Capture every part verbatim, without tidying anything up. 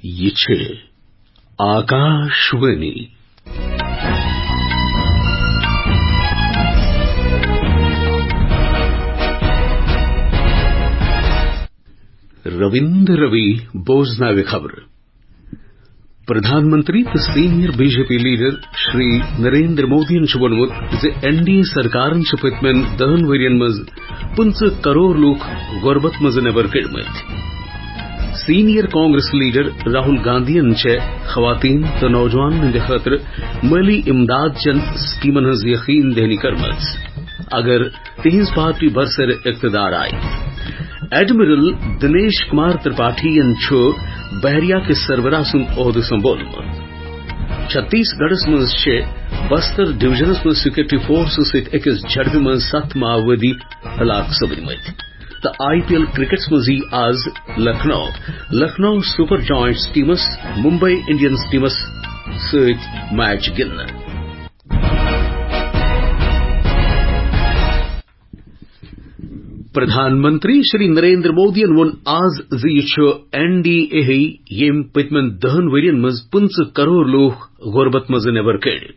یہِ چھِ آکاشوانی۔ رویندر روی بوزناوِ خبرٕ۔ پردھان منتری تہٕ senior B J P leader Shri Narendra مودیَن چھُ ووٚنمُت زِ این ڈی اے سرکارن چھِ پٔتمٮ۪ن دَہَن ؤرین منٛز پٕنٛژٕہ کرور لوٗکھ غربت منٛز نٮ۪بر کٔڑمٕتۍ۔ سینئر کانگریس لیڈر راہل گاندھین چھےٚ خواتین تہٕ نوجوانن ہٕنٛدِ خٲطرٕ مٲلی امداد چٮ۪ن سکیمن ہٕنٛز یقین دہانی کٔرمٕژ، اگر تِہنٛز پارٹی برسر اقتدار آیہِ۔ ایڈمرل دنیش کمار ترپاٹھین چھُ بحریہ کِس سربراہ سُنٛد عہدٕ سنبھولمُت۔ چھتیس گڑھس منٛز چھِ بستر ڈویژنس منٛز سیکورٹی فورسز سۭتۍ أکِس جھڑپہِ منٛز ستھ ماؤوادی ہلاک سپدمٕتۍ۔ تہٕ آئی پی ایل کرکٹس منٛز یی آز لکھنؤ، لکھنؤ سپر جائنٹس ٹیمس ممبئی انڈینز ٹیمس سۭتۍ میچ گِنٛدنہٕ۔ پردھان منتری شری نریندر مودیَن ووٚن آز زِ یہِ چھُ این ڈی اے ہٕے ییٚمۍ پٔتمٮ۪ن دَہَن ؤرین منٛز پٕنٛژٕہ کرور لوٗکھ غربت منٛز نٮ۪بر کٔڑۍ۔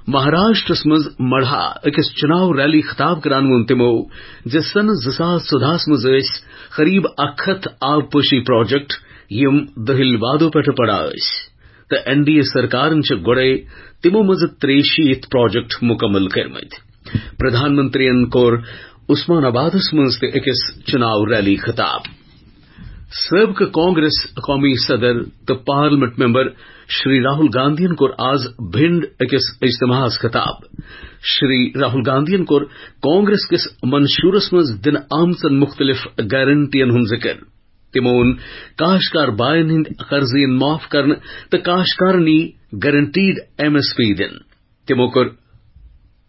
مہاراشٹرس منٛز مڑھا أکِس چُناو ریلی خطاب کران ووٚن تِمو زِ سنہٕ زٕ ساس ژۄدہَس منٛز ٲسۍ قریب اکھ ہتھ آبپاشی پروجیکٹ، یِم دٔہِل وعدو پٮ۪ٹھٕ پڑا ٲسۍ، تہٕ این ڈی اے سرکارن چھِ گۄڈے تِمو منٛزٕ ترٛیہِ شیٖتھ پروجیکٹ مُکمل کٔرمٕتۍ۔ پردھان منتریَن کوٚر عثمان آبادس منٛز تہِ أکِس چُناو ریلی خطاب۔ سٲبقہٕ کانگریس قومی صدر تہٕ پارلیمنٹ ممبر شری راہل گاندھین کوٚر آز بھنڈ أکِس اجتماعس خطاب۔ شری راہل گاندھین کوٚر کانگریس کِس منشورس منٛز دِنہٕ آمژن مُختٔلِف گارنٹین ہُنٛد ذِکر۔ تِمو ووٚن کاشتکار باین ہٕنٛدۍ قرضہٕ یِن معاف کرنہٕ تہٕ کاشتکارن یی گارنٹیڈ ایم ایس پی دِنہٕ۔ تِمو کوٚر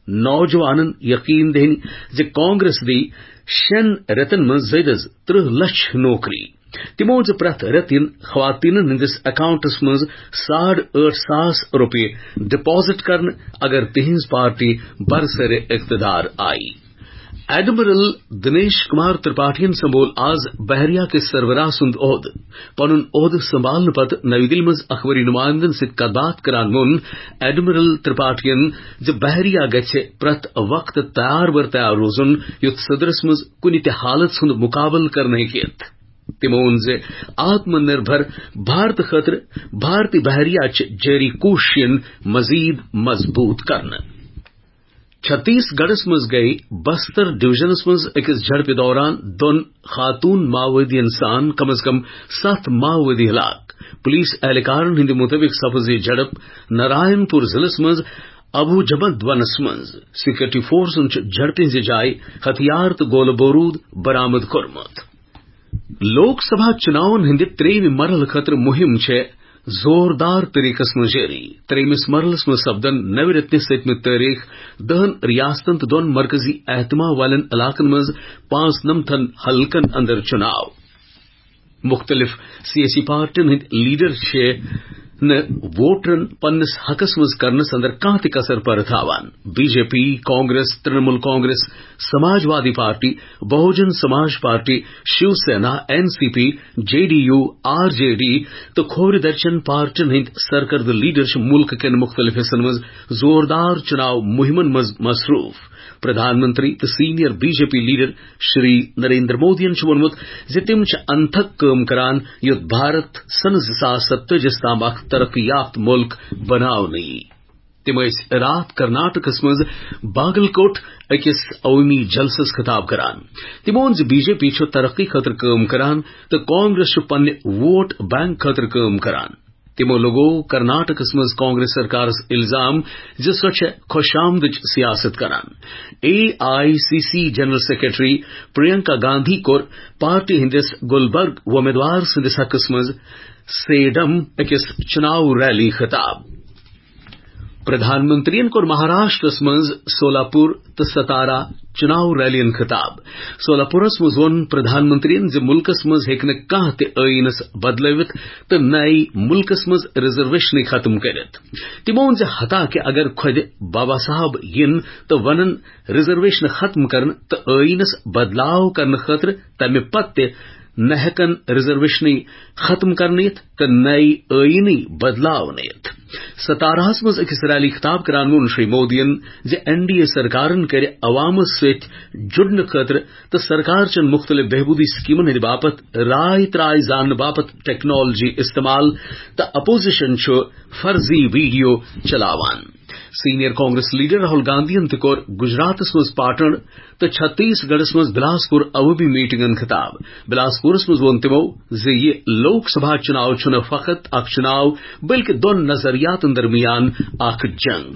نوجوانن یقین دہانی زِ کانگریس دی شٮ۪ن رٮ۪تن منٛز زٔدۍ از ترٕٛہ لچھ نوکری۔ تِمو ووٚن زِ پرٛٮ۪تھ رٮ۪تہٕ یِن خواتیٖنن ہٕنٛدِس اکاؤنٹس منٛز ساڑ ٲٹھ ساس رۄپیہِ ڈپازٹ کرنہٕ، اگر تِہنٛز پارٹی برسر اقتدار آیہِ۔ ایڈمرل دنیش کمار ترپاٹھین سنبھول آز بحریہ کِس سربراہ سُنٛد عہدٕ۔ پنُن عہدٕ سنبھالنہٕ پتہٕ نَوِ دِلہِ منٛز اخبٲری نُمایندن سۭتۍ کتھ باتھ کران ووٚن ایڈمرل ترپاٹھین زِ بحریہ گژھِ پرٛٮ۪تھ وقتہٕ تیار بر تیار روزُن، یُتھ صدرس منٛز کُنہِ تہِ حالت ہُنٛد مُقابلہٕ کرنہٕ ہیٚکہِ یِتھ۔ تِمو ووٚن زِ آتم نربھر بھارت خٲطرٕ بھارتی بحریہ چہِ جٲری کوٗششن مزید مضبوٗط کرنہٕ۔ چھتیس گڑھس منٛز گٔیہِ بستر ڈویژنس منٛز أکِس جھڑپہِ دوران دۄن خاتون ماؤوادین سان کم از کم ستھ ماؤوادی ہلاک۔ پولیس اہلکارن ہٕنٛدِ مُطٲبِق سپٕز یہِ جھڑپ نارائن پور ضلعس منٛز ابو جمد ونس منٛز۔ سیکورٹی فورسن چھُ جھڑپہِ ہٕنٛزِ جایہِ ہتھیار تہٕ گولہٕ بوروٗد برآمد کوٚرمُت۔ لوک سبھا چُناون ہٕنٛدِ ترٛیٚیِمہِ مرحلہٕ خٲطرٕ مُہِم چھےٚ زوردار طریقس منٛز جٲری۔ ترٛیٚیمِس مرحلس منٛز سپدن نَوِ رٮ۪تنہِ سٔتمہِ تٲریخ دَہَن ریاستن تہٕ دۄن مرکزی اہتمام والٮ۪ن علاقن منٛز پانٛژنَمتھن حلقن اندر چُناو۔ مُختٔلِف سیٲسی پارٹین ہٕنٛدۍ لیڈر چھِ نہٕ ووٹرن پننِس حقس منٛز کرنس اندر کانٛہہ تہِ کسر پرٕ تھاوان۔ B J P, Congress, Trinamool Congress, Samajwadi party, Bahujan Samaj party, Shiv Sena, N C P, J D U, R J D تہٕ کھوورِ درچن پارٹین ہٕنٛدۍ سرکردٕ لیڈر چھِ مُلکہٕ کٮ۪ن مُختٔلِف حصن منٛز زوردار چُناو مُہِمن منٛز مصروٗف۔ پردھان منتری تہٕ senior B J P leader Shri Narendra مودیَن چھُ ووٚنمُت زِ تِم چھِ انتھک کٲم کران، یُتھ بھارت سنہٕ زٕ ساس ستٲجی تام اکھ ترقی یافتہٕ مُلک بناونہٕ یی۔ تِم ٲسۍ راتھ کرناٹکس منٛز باگل کوٹ أکِس عوٲمی جلسس خطاب کران۔ تِمو ووٚن زِ بی جے پی چھُ ترقی خٲطرٕ کٲم کران تہٕ کانگریس چھُ پننہِ ووٹ بینک خٲطرٕ کٲم کران۔ تِمو لوٚگوو کرناٹکس منٛز کانگریس سرکارس الزام زِ سۄ چھےٚ خۄش آمدٕچ سیاست کران۔ A I C C general secretary Priyanka Gandhi کوٚر پارٹی ہٕنٛدِس گلبرگ وۄمیدوار سٕنٛدِس حقس منٛز سیڈم أکِس چُناو ریلی خطاب۔ پردھان منتریَن کوٚر مہاراشٹرس منٛز سولاپور تہٕ ستارا چُناو ریلیَن خطاب۔ سولاپورس منٛز ووٚن پردھان منتریَن زِ مُلکس منٛز ہیٚکہِ نہٕ کانٛہہ تہِ ٲییٖنس بدلٲوِتھ تہٕ نَے مُلکس منٛز ریزرویشنٕے ختم کٔرِتھ۔ تِمو ووٚن زِ حتاکہِ اگر خۄدِ بابا صاحب یِن تہٕ ونن ریزرویشن ختم کرنہٕ تہٕ ٲییٖنس بدلاو کرنہٕ خٲطرٕ، تمہِ پتہٕ تہِ نہ ہیٚکن ریزرویشنٕے ختم کرنہٕ یِتھ تہٕ نَے ٲیٖنٕے بدلاونہٕ یِتھ۔ ستاراہس منٛز أکِس ریلی خطاب کران ووٚن شری مودیَن زِ این ڈی اے سرکارن کرِ عوامس سۭتۍ جُڑنہٕ خٲطرٕ تہٕ سرکار چٮ۪ن مُختٔلِف بہبوٗدی سکیٖمن ہٕنٛدِ باپتھ راے تراے زاننہٕ باپتھ ٹیکنالوجی استعمال تہٕ اپوزیشن چھُ فرضی ویڈیو چلاوان۔ سینئر کانگریس لیڈر راہل گاندھین تہِ کوٚر گجراتس منٛز پاٹن تہٕ چھتیس گڑھس منٛز بلاسپور عوٲمی میٹنگن خطاب۔ بلاسپورس منٛز ووٚن تِمو زِ یہِ لوک سبھا چُناو چھُنہٕ فقط اکھ چُناو، بلکہِ دۄن نظریاتن درمیان اکھ جنگ۔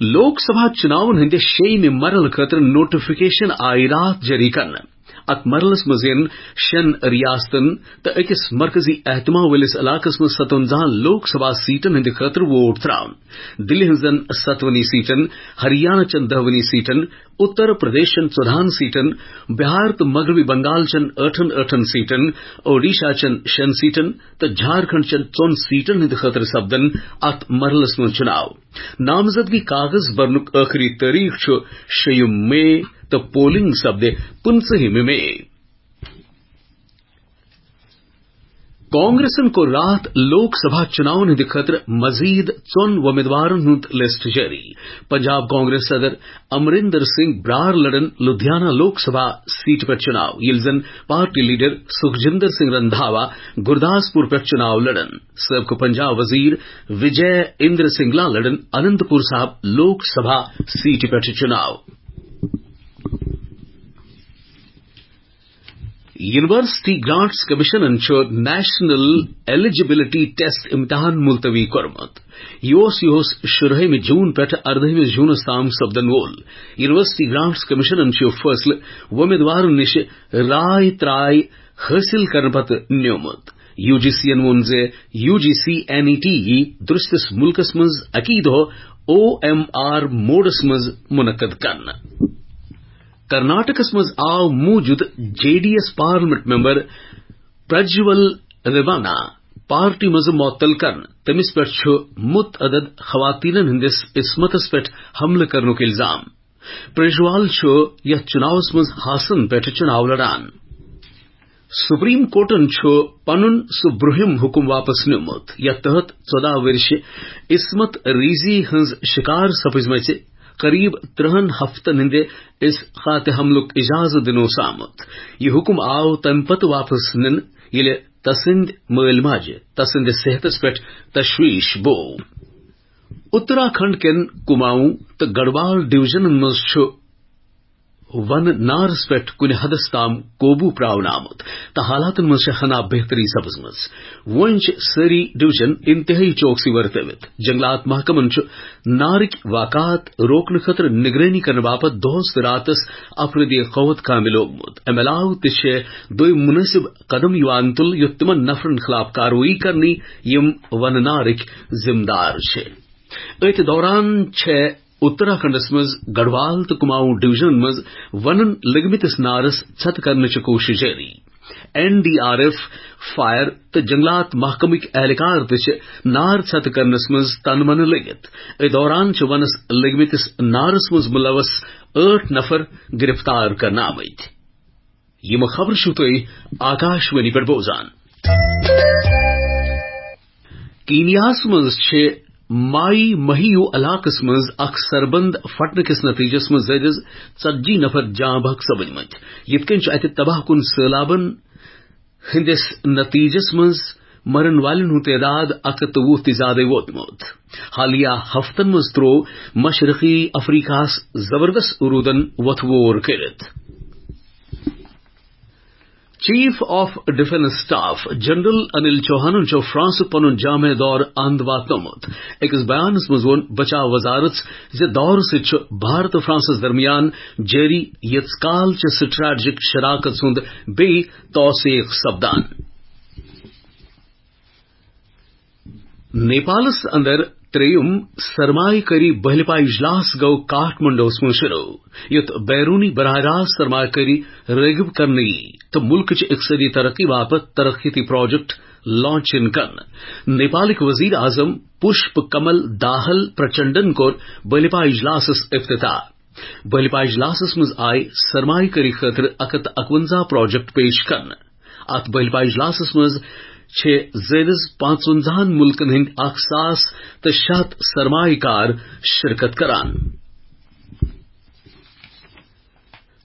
لوک سبھا چُناون ہٕنٛدِ شیٚیِمہِ مرحلہٕ خٲطرٕ نوٹیفکیشن آیہِ راتھ جٲری کرنہٕ۔ اتھ مرحلس منٛز یِن شٮ۪ن ریاستن تہٕ أکِس مرکزی اہتمام وٲلِس علاقس منٛز ستونزاہن لوک سبھا سیٹن ہٕنٛدِ خٲطرٕ ووٹ تراونہٕ۔ دِلہِ ہٕنٛزن ستونی سیٹن، ہریانہ چٮ۪ن دہونی سیٹن، اتر پردیشن ژۄدہن سیٹن، بہار تہٕ مغربی بنگال چٮ۪ن ٲٹھن ٲٹھن سیٹن، اوڈیشہ چٮ۪ن شٮ۪ن سیٹن تہٕ جھارکھنڈ چٮ۪ن ژۄن سیٹن ہٕنٛدِ خٲطرٕ سپدن اتھ مرحلس منٛز چُناو۔ نامزدگی کاغذ برنُک ٲخری تٲریخ چھُ شیٚیِم مئی تہٕ پولنگ سپدِ پٕنٛژٕہمہِ مئی۔ کانگریسن کوٚر راتھ لوک سبھا چُناون ہٕنٛدِ خٲطرٕ مزید ژۄن وۄمیدوارن ہُنٛد لسٹ جٲری۔ پنجاب کانگریس صدر امرندر سنگھ برار لڑن لدھیانہ لوک سبھا سیٹ پٮ۪ٹھ چُناو، ییٚلہِ زن پارٹی لیڈر سکھجندر سنگھ رندھاوا گرداسپور پٮ۪ٹھ چُناو لڑن۔ سٲبقہٕ پنجاب وزیر وجے اندر سنگلا لڑن اننت پور صاحب لوک سبھا سیٹ پٮ۪ٹھ چُناو۔ یونیورسٹی گرانٹس کمیشنن چھُ نیشنل ایلیجیبلٹی ٹیسٹ امتحان ملتوی کوٚرمُت۔ یہِ اوس، یہِ اوس شُرہٲمہِ جون پٮ۪ٹھ اردٲہمہِ جونس تام سپدن وول۔ یونیورسٹی گرانٹس کمیشنن چھُ یہِ فٲصلہٕ وۄمیدوارن نِش راے تراے حٲصِل کرنہٕ پتہٕ نیومُت۔ یو جی سی یَن ووٚن زِ یو جی سی این ای ٹی یی درستس ملکس منٛز اَکی دۄہ او ایم آر موڈس منٛز منعقد کرنہٕ۔ کرناٹکس منٛز آو موجود J D S parliament member Prajwal Revanna party منٛز معطل کرنہٕ۔ تٔمِس پٮ۪ٹھ چھُ متعدد خواتینن ہٕنٛدِس عصمتس پٮ۪ٹھ حملہٕ کرنُک الزام۔ پرجوال چھُ یتھ چُناوس منٛز ہاسن پٮ۪ٹھ چُناو لڑان۔ سپریم کورٹن چھُ پنُن سُہ برٛونٛہِم حُکم واپس نیومُت، یتھ تحت ژۄداہ ؤرِش عصمت ریزی ہٕنٛز شکار سپٕزمٕژِ قریب ترٛہن ہفتن ہٕنٛدِ اسقاط حملُک اجازت دِنہٕ اوس آمُت۔ یہِ حُکم آو تمہِ پتہٕ واپس نِنہٕ، ییٚلہِ تسٕنٛدۍ مٲلۍ ماجہِ تسٕنٛدِس صحتس پٮ۪ٹھ تشویش بوو۔ اتراکھنڈ کٮ۪ن کماؤں تہٕ گڑھوال ڈویژنن منٛز چھُ ونہٕ نارس پٮ۪ٹھ کُنہِ حدس تام قوبو پراونہٕ آمُت تہٕ حالاتن منٛز چھےٚ ہنا بہتری سپٕزمٕژ۔ وۄنۍ چھِ سٲری ڈویژن انتہٲئی چوکسی ورتٲوِتھ۔ جنگلات محکمن چھُ نارٕکۍ واقعات روکنہٕ خٲطرٕ نگرٲنی کرنہٕ باپتھ دۄہس تہٕ راتس افرادی قوت کامہِ لوگمُت۔ امہِ علاوٕ تہِ چھِ دوٚیِم مُنٲسِب قدم یِوان تُلنہٕ، یُتھ تِمن نفرن خلاف کاروٲیی کرنہٕ یِم ونہٕ نارٕکۍ ذمہٕ دار چھِ۔ أتھۍ دوران چھےٚ اتراکھنڈس منٛز گڑھوال تہٕ کماؤں ڈویژنن منٛز ونن لٔگمٕتِس نارس ژھتہٕ کرنٕچ کوٗشش جٲری۔ N D R F, fire تہٕ جنگلات محکمٕکۍ اہلکار تہِ چھِ نار ژھتہٕ کرنس منٛز تن منہٕ لٔگِتھ۔ أتھۍ دوران چھِ ونس لٔگمٕتِس نارس منٛز ملوث ٲٹھ نفر گرفتار کرنہٕ آمٕتۍ۔ یِم خبرٕ چھِو تُہۍ آکاشوانی پٮ۪ٹھ بوزان۔ کینیاہس منٛز چھِ مائی مہیو علاقس منٛز اکھ سربند پھٹنہٕ کِس نتیجس منٛز زیادٕ از ژتجی نفر جاں بحق سپٕدمٕتۍ، یِتھ کٔنۍ چھُ اتہِ تباہ کُن سٔہلابن ہٕنٛدِس نتیجس منٛز مرن والٮ۪ن ہُنٛد تعداد اکھ ہتھ تہٕ وُہ تہِ زیادَے ووتمُت۔ حالیہ ہفتن منٛز تروو مشرقی افریقہس زبردست روٗدن وۄتھٕ وور کٔرِتھ۔ Chief of defence staff general Anil چوہانن چھُ فرانسُک پنُن جامع دورٕ اند واتنومُت۔ أکِس بیانس منٛز ووٚن بچاو وزارت زِ دورٕ سۭتۍ چھُ بھارت تہٕ فرانسس درمیان جٲری ییٖژ کال چہِ سٹریٹجک شراکت ہُنٛد بیٚیہِ توثیق سپدان۔ نیپالس اندر ترٛیٚیِم سرمایہ کٲری بحلپا اجلاس گوٚو کاٹھمنڈوس منٛز شروع، یُتھ بیرونی براہ راست سرمایہ کٲری رٲغب کرنہٕ یی تہٕ ملکٕچ اقتصٲدی ترقی باپتھ ترقیتی پروجیکٹ لانچ یِن کرنہٕ۔ نیپالٕکۍ وزیر اعظم پشپ کمل داہل پرچنڈن کوٚر بحلپا اجلاسس افتتاح۔ بہلپا اجلاسس منٛز آیہِ سرمایہ کٲری خٲطرٕ اَکھ ہَتھ تہٕ اَکوَنزاہ پروجیکٹ پیش کرنہٕ۔ اتھ بہلپا اجلاسس منٛز چھِ زٲیدس پانٛژونزاہن مُلکن ہٕنٛدۍ اَکھ ساس تہٕ شےٚ ہَتھ سرمایہ کار شرکت کران۔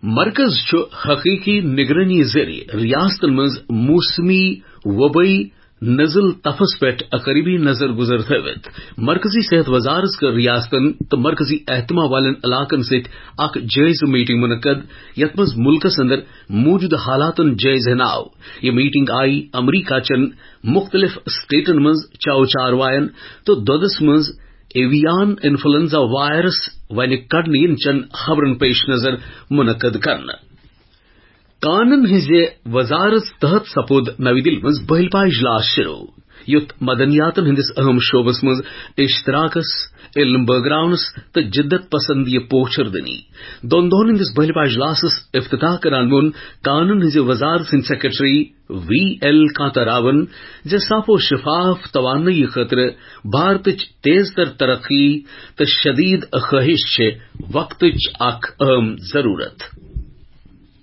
مرکز چھُ حقیقی نگرٲنی ذٔریعہٕ ریاستن منٛز موسمی وبٲیی نزل تپھس پٮ۪ٹھ قریبی نظر گزر تھٲوِتھ۔ مرکزی صحت وزارت کٔر ریاستن تہٕ مرکزی اہتمام والٮ۪ن علاقن سۭتۍ اکھ جٲیزٕ میٹنگ منعقد، یتھ منٛز ملکس اندر موجودٕ حالاتن جٲیزٕ ہن آو۔ یہِ میٹنگ آیہِ امریکہ چٮ۪ن مُختٔلِف سٹیٹن منٛز چاو چاروایَن تہٕ دۄدَس منٛز ایویان انفلوئنزا وائرس وَنہِ کڑنہٕ یِنہٕ چٮ۪ن خبرن پیش نظر منعقد کرنہٕ۔ کانن ہٕنٛزِ وزارت تحت سپُد نَوِ دِلہِ منٛز بہلپا اجلاس شروع، یُتھ مدنیاتن ہٕنٛدِس اہم شعبس منٛز اشتراکس، علم بٲگراونس تہٕ جدت پسندی پوچھر دنی۔ دۄن دۄہن ہٕنٛدِس بہلپا اجلاسس افتتاح کران ووٚن کانن ہٕنٛزِ وزارت ہٕنٛدۍ سیکرٹری وی ایل کانتا راون زِ صاف و شفاف توانٲیی خٲطرٕ بھارتٕچ تیز تر ترقی تہٕ شدید خواہش چھِ وقتٕچ اکھ اہم ضرورت۔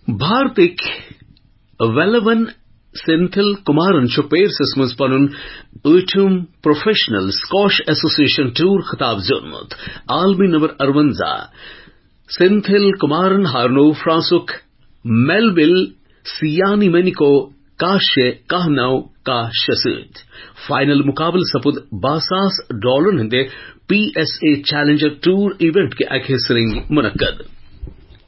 بھارتٕکۍ ویلون سینتھل کمارن چھُ پیرسس منٛز پنُن ٲٹھِم پروفیشنل اسکواش ایسوسیشن ٹور خطاب زیوٗنمُت۔ عالمی نمبر اَرونزاہ سینتھل کمارن ہارنو فرانسُک میلویل سیانی مینیکو کاہ شےٚ، کاہ نَو، کاہ شےٚ سۭتۍ۔ فائنل مقابلہٕ سپُد باہ ساس ڈالرن ہٕنٛدِ P S A challenger tour event کہِ اکہِ حصہٕ رنگہِ منعقد۔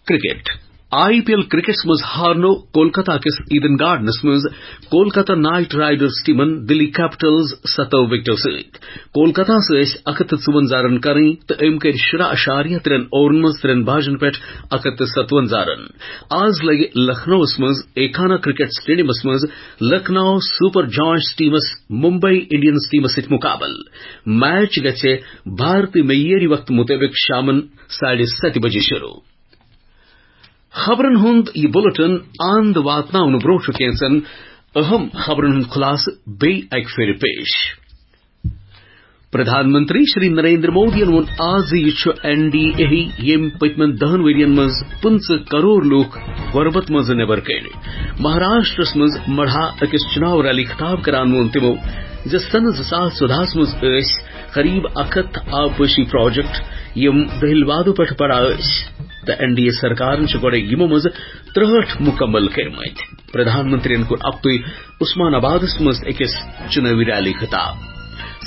کرکٹ۔ آئی پی ایل کرکٹس منٛز ہارنو کولکتہ کِس ایڈن گارڈنس منٛز کولکتہ نائٹ رائیڈرز ٹیمن دلی کیپٹلز ستو وکٹو سۭتۍ۔ کولکتہ ٲسۍ اکھ ہتھ تہٕ ژُوَنزاہ رن کرٕنۍ تہٕ أمۍ کٔرۍ شُراہ اعشاریہ ترٛٮ۪ن اوورن منٛز ترٛٮ۪ن باجن پٮ۪ٹھ اکھ ہتھ تہٕ ستوَنزاہ رن۔ آز لگہِ لکھنؤَس منٛز ایکانا کرکٹ سٹیڈیمس منٛز لکھنؤ سپر جائنٹس ٹیمس ممبئی انڈینز ٹیمس سۭتۍ مقابلہٕ۔ میچ گژھِ بھارتی معیٲری وقتہٕ مُطٲبِق شامن ساڑِ ستہِ بجہِ شروع۔ خبرن ہُنٛد یہِ بُلٹن اند واتناونہٕ برٛونٛہہ چھُ کینٛژن اہم خبرن ہُنٛد خلاصہٕ بیٚیہِ اکہِ پھِرِ پیش۔ پردھان منتری شری نریندر مودیَن ووٚن آز زِ یہِ چھُ این ڈی اے ییٚمۍ پٔتمٮ۪ن دَہَن ؤرۍ یَن منٛز پٕنٛژٕہ کرور لوٗکھ غربت منٛز نٮ۪بر کٔڑۍ۔ مہاراشٹرس منٛز مڑھا أکِس چُناو ریلی خطاب کران ووٚن تِمو زِ سنہٕ زٕ ساس ژۄدہَس منٛز ٲسۍ قریب اکھ ہتھ آبپاشی پروجیکٹ یِم دٔہِل وادو پٮ۪ٹھ پڑا ٲسۍ تہٕ این ڈی اے سرکارن چھِ گۄڈے یِمو منٛز ترٛہٲٹھ مُکمل کٔرمٕتۍ۔ پردھان منتریَن کوٚر اکتُے عثمان آبادس منٛز أکِس چُنٲوی ریلی خطاب۔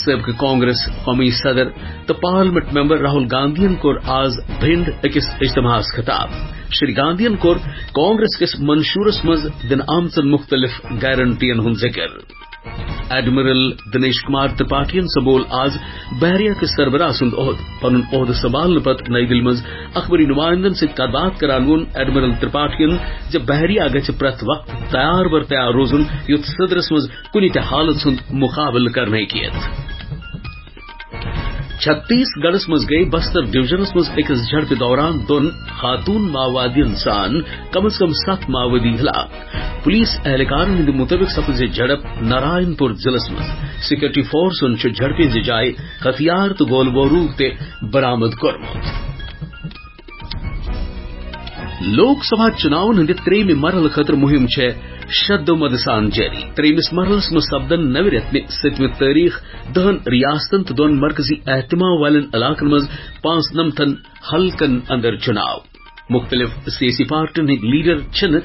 سٲبقہٕ کانگریس قومی صدر تہٕ پارلیمنٹ ممبر راہل گاندھین کوٚر آز بھنڈ أکِس اجتماعس خطاب۔ شری گاندھین کوٚر کانگریس کِس منشورس منٛز دِنہٕ آمژن مُختٔلِف گارنٹین ہُنٛد ذِکر۔ ایڈمرل دنیش کمار ترپاٹھین سنبھول آز بحریہ کِس سربراہ سُنٛد عہدٕ۔ پنُن عہدٕ سنبھالنہٕ پتہٕ نئی دِلہِ منٛز اخبٲری نمائندن سۭتۍ کتھ باتھ کران ووٚن ایڈمرل ترپاٹھین زِ بحریہ گژھِ پرٛٮ۪تھ وقتہٕ تیار بر تیار روزُن، یُتھ صدرس منٛز کُنہِ تہِ حالت ہُنٛد مقابلہٕ کرنہٕ ہیٚکہِ یِتھ۔ چھتیس گڑھس منٛز گٔیہِ بستر ڈویژنس منٛز أکِس جھڑپہِ دوران دۄن خاتون ماؤوادین سان کم از کم ستھ ماؤوادی ہلاک۔ پولیس اہلکارن ہٕنٛدِ مُطٲبِق سپٕز یہِ جھڑپ نارائن پور ضلعس منٛز۔ سیکورٹی فورسن چھُ جھڑپہِ ہٕنٛزِ جایہِ ہتھیار تہٕ گولہٕ بوروٗد تہِ برآمد کوٚرمُت۔ لوک سبھا چُناون ہٕنٛدِ ترٛیٚیِمہِ مرحلہٕ خٲطرٕ مُہِم چھےٚ شدو مدٕ سان جٲری۔ ترٛیٚیِمِس مرحلس منٛز سپدن نوِ رٮ۪تہٕ سٔتمہِ تٲریخ دَہَن ریاستن تہٕ دۄن مرکزی اہتمام والٮ۪ن علاقن منٛز پانٛژنَمتھن حلقن اندر چُناو۔ مُختٔلِف سیٲسی پارٹین ہٕنٛدۍ لیڈر چھِنہٕ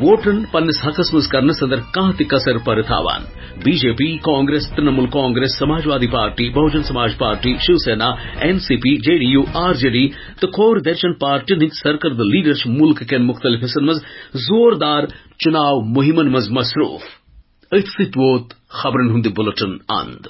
ووٹرن پننِس حقس منٛز کرنس اندر کانٛہہ تہِ کسر پرٕ تھاوان۔ B J P, Congress, Trinamool Congress, Samajwadi party, Bahujan Samaj party, Shiv Sena, N C P, J D U, R J D تہٕ کھوور درچن پارٹین ہٕنٛدۍ سرکردٕ لیڈر چھِ مُلکہٕ کٮ۪ن مُختٔلِف حصن منٛز زوردار چُناو مُہِمن منٛز مصروٗف۔ أتھۍ سۭتۍ ووت خبرن ہُنٛد یہِ بُلٹن اند۔